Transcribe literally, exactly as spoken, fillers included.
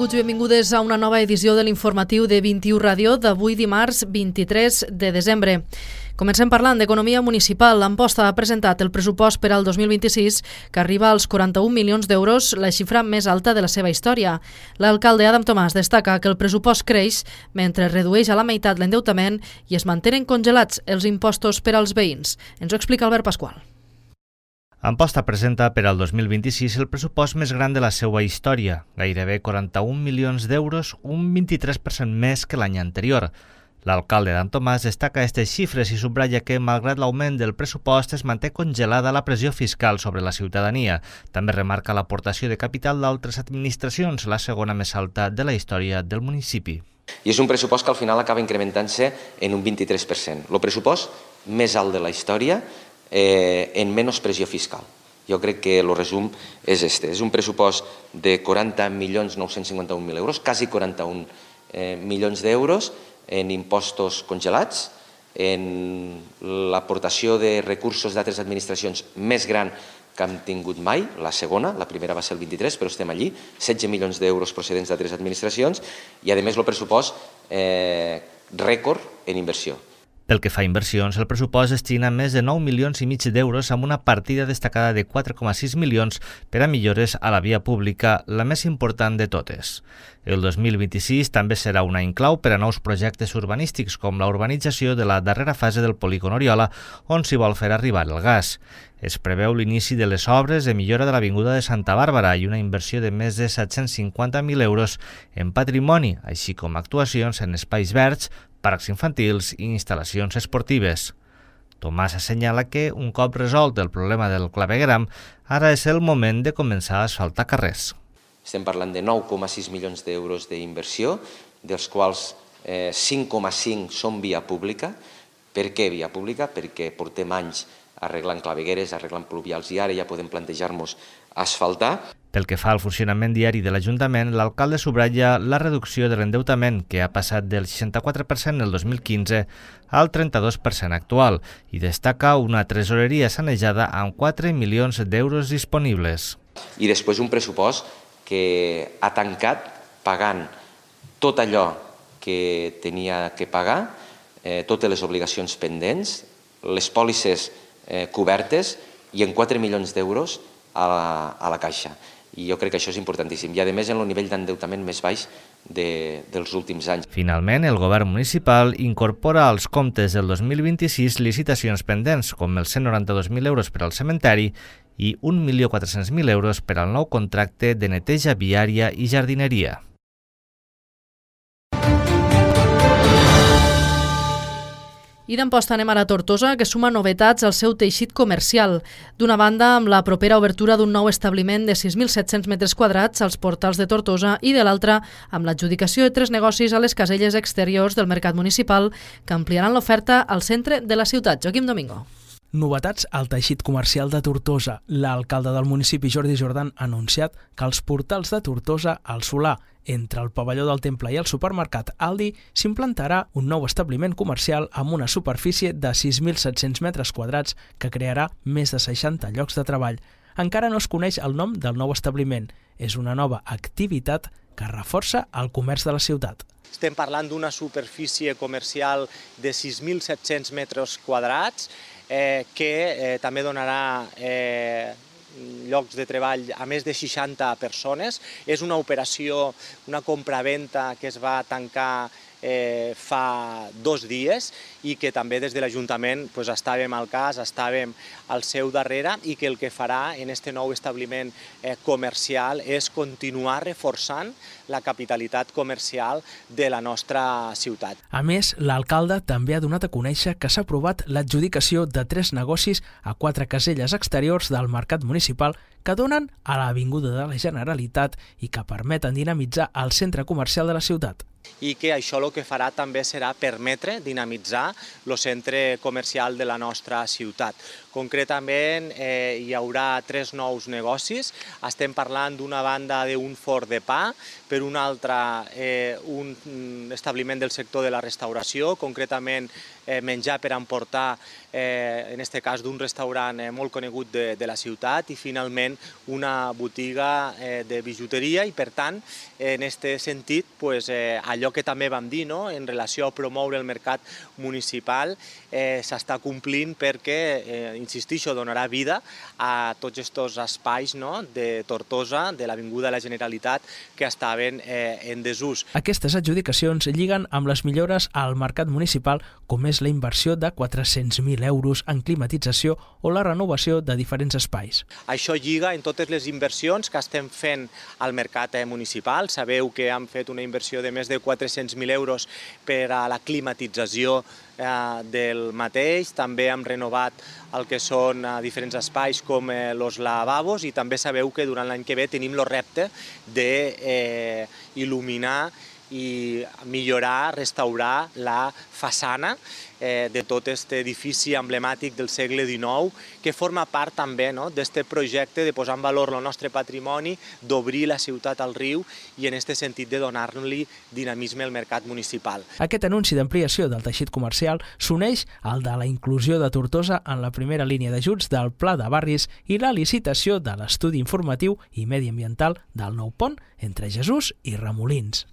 Benvinguts i benvingudes a una nova edició de l'informatiu de vint-i-u Ràdio d'avui dimarts vint-i-tres de desembre. Comencem parlant d'economia municipal. Amposta ha presentat el pressupost per al dos mil vint-i-sis, que arriba als quaranta-un milions d'euros, la xifra més alta de la seva història. L'alcalde Adam Tomàs destaca que el pressupost creix mentre redueix a la meitat l'endeutament i es mantenen congelats els impostos per als veïns. Ens ho explica Albert Pasqual. Amposta presenta per al dos mil vint-i-sis el pressupost més gran de la seva història, gairebé quaranta-un milions d'euros, un vint-i-tres per cent més que l'any anterior. L'alcalde Adam Tomàs destaca aquestes xifres i subratlla que, malgrat l'augment del pressupost, es manté congelada la pressió fiscal sobre la ciutadania. També remarca l'aportació de capital d'altres administracions, la segona més alta de la història del municipi. I és un pressupost que al final acaba incrementant-se en un vint-i-tres per cent. El pressupost més alt de la història eh, en menys pressió fiscal. Jo crec que el resum és este. És un pressupost de quaranta milions nou-cents cinquanta-un mil euros, quasi quaranta-un eh, milions d'euros, en impostos congelats, en l'aportació de recursos d'altres administracions més gran que hem tingut mai, la segona, la primera va ser el vint-i-tres, però estem allí, setze milions d'euros procedents d'altres administracions i, a més, el pressupost eh, rècord en inversió. Pel que fa a inversions, el pressupost destina més de nou milions i mig d'euros amb una partida destacada de quatre coma sis milions per a millores a la via pública, la més important de totes. El dos mil vint-i-sis també serà un any clau per a nous projectes urbanístics, com la urbanització de la darrera fase del polígon Oriola, on s'hi vol fer arribar el gas. Es preveu l'inici de les obres de millora de l'Avinguda de Santa Bàrbara i una inversió de més de set-cents cinquanta mil euros en patrimoni, així com actuacions en espais verds, parcs infantils i instal·lacions esportives. Tomàs assenyala que, un cop resolt el problema del clavegueram, ara és el moment de començar a asfaltar carrers. Estem parlant de nou coma sis milions d'euros d'inversió, dels quals eh, cinc coma cinc són via pública. Per què via pública? Perquè portem anys arreglant clavegueres, arreglant pluvials i ara ja podem plantejar-nos asfaltar. Pel que fa al funcionament diari de l'Ajuntament, l'alcalde subratlla la reducció de l'endeutament, que ha passat del seixanta-quatre per cent el dos mil quinze al trenta-dos per cent actual, i destaca una tresoreria sanejada amb quatre milions d'euros disponibles. I després un pressupost que ha tancat pagant tot allò que tenia que pagar, eh, totes les obligacions pendents, les pòlisses eh, cobertes i en quatre milions d'euros a la, a la caixa. I jo crec que això és importantíssim. I, a més, en el nivell d'endeutament més baix de, dels últims anys. Finalment, el govern municipal incorpora als comptes del dos mil vint-i-sis licitacions pendents, com els cent noranta-dos mil euros per al cementeri i un milió quatre-cents mil euros per al nou contracte de neteja viària i jardineria. I d'Amposta anem ara a Tortosa, que suma novetats al seu teixit comercial. D'una banda, amb la propera obertura d'un nou establiment de sis mil set-cents metres quadrats als portals de Tortosa i de l'altra, amb l'adjudicació de tres negocis a les caselles exteriors del mercat municipal que ampliaran l'oferta al centre de la ciutat. Joaquim Domingo. Novetats al teixit comercial de Tortosa. L'alcalde del municipi, Jordi Jordan, ha anunciat que als portals de Tortosa, al Solà, entre el pavelló del Temple i el supermercat Aldi, s'implantarà un nou establiment comercial amb una superfície de sis mil set-cents metres quadrats que crearà més de seixanta llocs de treball. Encara no es coneix el nom del nou establiment. És una nova activitat que reforça el comerç de la ciutat. Estem parlant d'una superfície comercial de sis mil set-cents metres quadrats eh, que eh, també donarà eh, llocs de treball a més de seixanta persones. És una operació, una compra-venta que es va tancar eh, fa dos dies i que també des de l'Ajuntament pues, estàvem al cas, estàvem al seu darrere i que el que farà en aquest nou establiment eh, comercial és continuar reforçant la capitalitat comercial de la nostra ciutat. A més, l'alcalde també ha donat a conèixer que s'ha aprovat l'adjudicació de tres negocis a quatre caselles exteriors del mercat municipal que donen a l'Avinguda de la Generalitat i que permeten dinamitzar el centre comercial de la ciutat. I que això el que farà també serà permetre dinamitzar el centre comercial de la nostra ciutat. Concretament, eh, hi haurà tres nous negocis. Estem parlant d'una banda d'un forn de pa, per una altra eh, un establiment del sector de la restauració, concretament eh, menjar per emportar, eh, en aquest cas d'un restaurant eh, molt conegut de, de la ciutat, i finalment una botiga eh, de bijuteria, i per tant, en aquest sentit, pues, eh, allò que també vam dir, no?, en relació a promoure el mercat municipal, eh, s'està complint perquè, eh, insistixo, donarà vida a tots aquests espais, no?, de Tortosa, de l'Avinguda de la Generalitat, que estaven eh, en desús. Aquestes adjudicacions lliguen amb les millores al mercat municipal, com és la inversió de quatre-cents mil euros en climatització o la renovació de diferents espais. Això lliga en totes les inversions que estem fent al mercat municipal. Sabeu que hem fet una inversió de més de quatre-cents mil euros per a la climatització eh, del mateix. També hem renovat el que són eh, diferents espais com eh, els lavabos, i també sabeu que durant l'any que ve tenim el repte d'il·luminar eh, i millorar, restaurar la façana eh, de tot aquest edifici emblemàtic del segle dinou, que forma part també, no?, d'aquest projecte de posar en valor el nostre patrimoni, d'obrir la ciutat al riu i en aquest sentit de donar-li dinamisme al mercat municipal. Aquest anunci d'ampliació del teixit comercial s'uneix al de la inclusió de Tortosa en la primera línia d'ajuts del Pla de Barris i la licitació de l'estudi informatiu i mediambiental del nou pont entre Jesús i Remolins.